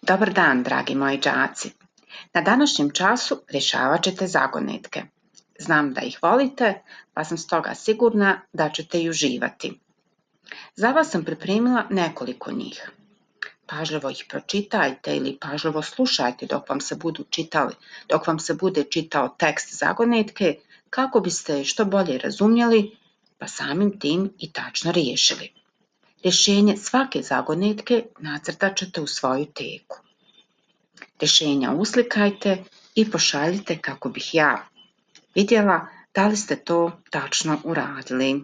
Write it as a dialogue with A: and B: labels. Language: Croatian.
A: Dobar dan, dragi moji đaci. Na današnjem času rješavat ćete zagonetke. Znam da ih volite, pa sam stoga sigurna da ćete i uživati. Za vas sam pripremila nekoliko njih. Pažljivo ih pročitajte ili pažljivo slušajte dok vam se bude čitao tekst zagonetke kako biste je što bolje razumjeli, pa samim tim i tačno riješili. Rješenje svake zagonetke nacrtat ćete u svoju teku. Rješenja uslikajte i pošaljite kako bih ja vidjela da li ste to tačno uradili.